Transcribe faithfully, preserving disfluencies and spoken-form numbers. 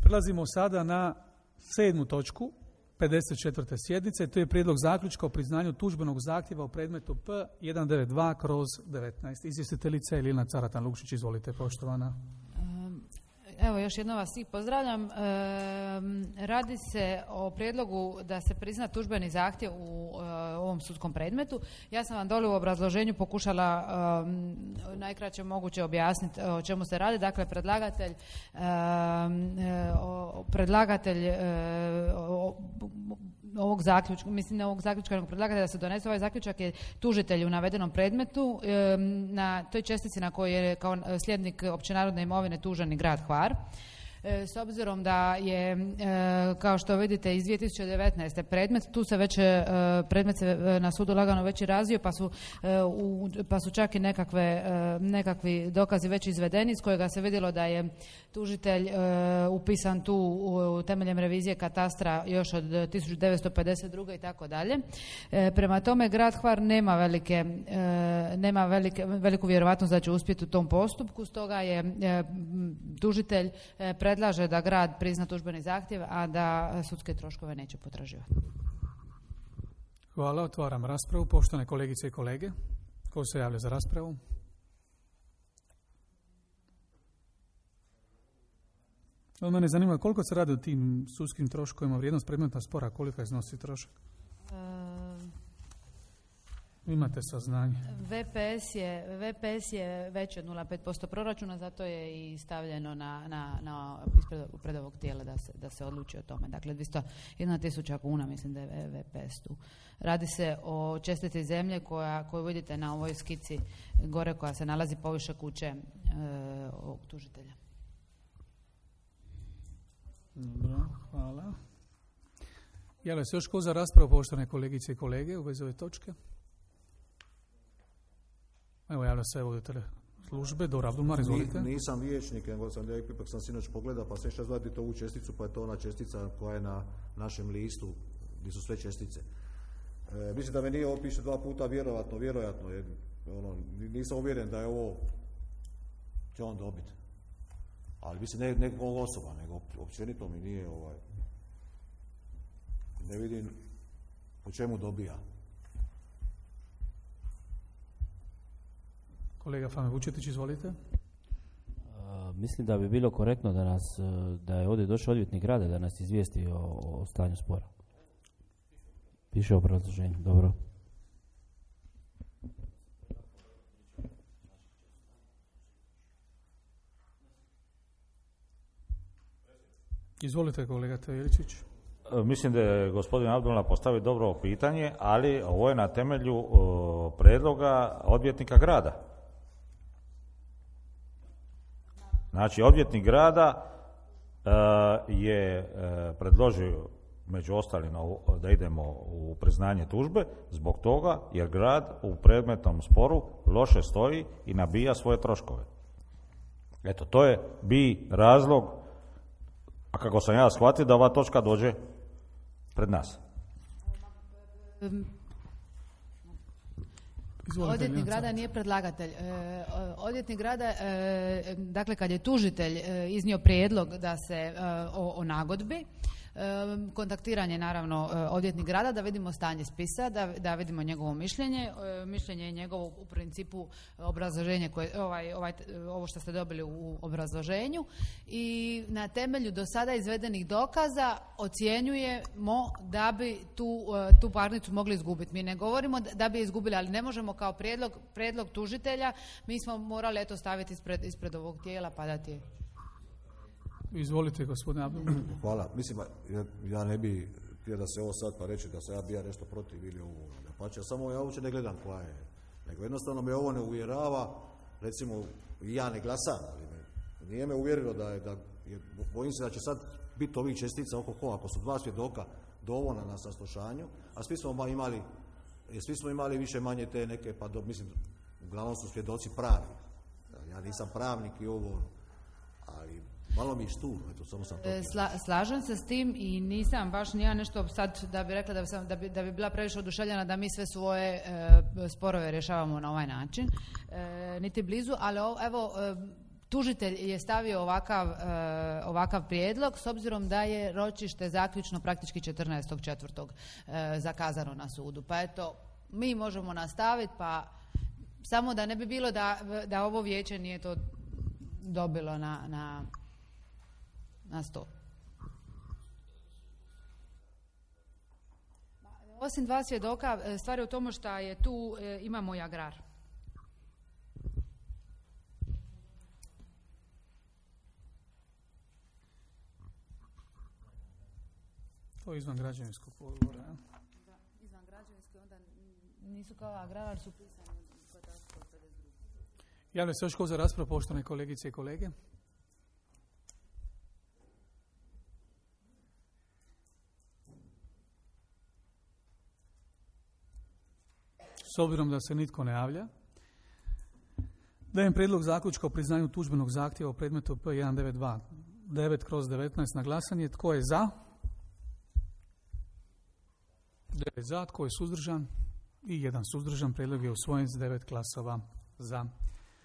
Prelazimo sada na sedmu točku pedeset četvrte sjednice. To je prijedlog zaključka o priznanju tužbenog zahtjeva u predmetu P sto devedeset dva kroz devetnaest. Izvjestiteljica Ilina Caratan-Lukšić, izvolite, poštovana. Evo, još jednom vas svih pozdravljam. E, radi se o prijedlogu da se prizna tužbeni zahtjev u e, ovom sudskom predmetu. Ja sam vam dole u obrazloženju pokušala e, najkraće moguće objasniti o čemu se radi. Dakle, predlagatelj e, o, predlagatelj e, o, ovog zaključka, mislim na ovog zaključka nego predlagatelja da se donese ovaj zaključak je tužitelj u navedenom predmetu e, na toj čestici na kojoj je kao slijednik općenarodne imovine tužen i grad Hvar. S obzirom da je, kao što vidite, iz dvije tisuće devetnaeste predmet, tu se već, predmet se na sudu lagano već i razvio, pa su, pa su čak i nekakve, nekakvi dokazi već izvedeni, iz kojega se vidjelo da je tužitelj upisan tu temeljem revizije katastra još od tisuću devetsto pedeset druge i tako dalje. Prema tome, grad Hvar nema, velike, nema velike, veliku vjerovatnost da će uspjeti u tom postupku, stoga je tužitelj predlaže da grad prizna tužbeni zahtjev, a da sudske troškove neće potraživati. Hvala, otvaram raspravu. Poštovane kolegice i kolege, ko se javlja za raspravu? Od mene zanima koliko se radi o tim sudskim troškovima, vrijednost predmeta spora, koliko iznosi trošak? Imate saznanje. V P S je, V P S je veći od nula zarez pet posto proračuna, zato je i stavljeno na, na, na ispred, pred ovog tijela da se, da se odluči o tome. Dakle, dvjesto jedna tisuća kuna mislim da je V P S tu. Radi se o čestici zemlje koja, koju vidite na ovoj skici gore, koja se nalazi poviše kuće e, ovog tužitelja. Dobro, hvala. Javlja se još ko za raspravu, poštovane kolegice i kolege, u vezi ove točke? Evo, javlja se voditelj službe, Dora Abdulmar, izvolite. Nisam vijećnik, nego sam ja ipak sam sinoć pogledao, pa sam išao zvati ovu česticu, pa je to ona čestica koja je na našem listu, gdje su sve čestice. E, mislim da me nije ovo piše dva puta, vjerojatno, vjerojatno, jer, ono, nisam uvjeren da je ovo će on dobiti. Ali mislim, ne nekog osoba, nego općenito mi nije, ovaj, ne vidim po čemu dobija. Kolega Fame Vučetić, izvolite. Uh, mislim da bi bilo korektno da nas, da je ovdje došao odvjetnik grada da nas izvijesti o, o stanju spora. Piše o obrazloženju, dobro. Izvolite, kolega Tevjeričić. Mislim da je gospodin Abdullah postavio dobro pitanje, ali ovo je na temelju uh, predloga odvjetnika grada. Znači, odvjetnik grada uh, je uh, predložio među ostalim da idemo u priznanje tužbe zbog toga jer grad u predmetnom sporu loše stoji i nabija svoje troškove. Eto, to je bi razlog, a kako sam ja shvatio, da ova točka dođe pred nas. Izvolite, odvjetnik grada nije predlagatelj. E, odvjetnik grada, e, dakle, kad je tužitelj e, iznio prijedlog da se e, o, o nagodbi, kontaktiran je naravno odvjetnik grada da vidimo stanje spisa, da, da vidimo njegovo mišljenje. Mišljenje je njegovo u principu obrazloženje koje, ovaj, ovaj, ovo što ste dobili u obrazloženju i na temelju do sada izvedenih dokaza ocjenjujemo da bi tu, tu parnicu mogli izgubiti. Mi ne govorimo da bi je izgubili, ali ne možemo kao prijedlog, prijedlog tužitelja, mi smo morali eto staviti ispred, ispred ovog tijela pa dati je. Izvolite, gospodine Abdulmar. Hvala. Mislim, ja, ja ne bi htio da se ovo sad pa reći da se ja bija nešto protiv ili ovo. Pače, samo ja uopće ne gledam koja je. Nego jednostavno me ovo ne uvjerava, recimo, ja ne glasam, ali me, nije me uvjerilo da je, da je, bojim se da će sad biti ovih čestica oko koga, ako su dva svjedoka dovoljna na saslušanju, a svi smo imali, svi smo imali više manje te neke, pa do, mislim, uglavnom su svjedoci pravi. Ja nisam pravnik i ovo, ali malo mi je šturo, eto, samo sam to. Sla, slažem se s tim i nisam baš ni ja nešto sad da bi rekla da bi, sam, da bi, da bi bila previše oduševljena da mi sve svoje e, sporove rješavamo na ovaj način, e, niti blizu, ali o, evo, e, tužitelj je stavio ovakav, e, ovakav prijedlog s obzirom da je ročište zaključno praktički četrnaestog četvrtog E, zakazano na sudu. Pa eto, mi možemo nastaviti, pa samo da ne bi bilo da, da ovo vijeće nije to dobilo na, na, na sto. Osim dva svjedoka, stvar je u tomu što je tu, e, imamo i agrar. To je izvan građevinskog podvora. Da, izvan građevinskog, onda nisu kao agrar, ali su pisani kod tako pedeset dva. Javlja se još ko za raspravu, poštovane kolegice i kolege? S obzirom da se nitko ne javlja, dajem prijedlog zaključka o priznanju tužbenog zahtjeva u predmetu P jedan devet dva devet kroz devetnaest na glasanje. Tko je za? devet za, tko je suzdržan? I jedan suzdržan. Prijedlog je usvojen s devet glasova za.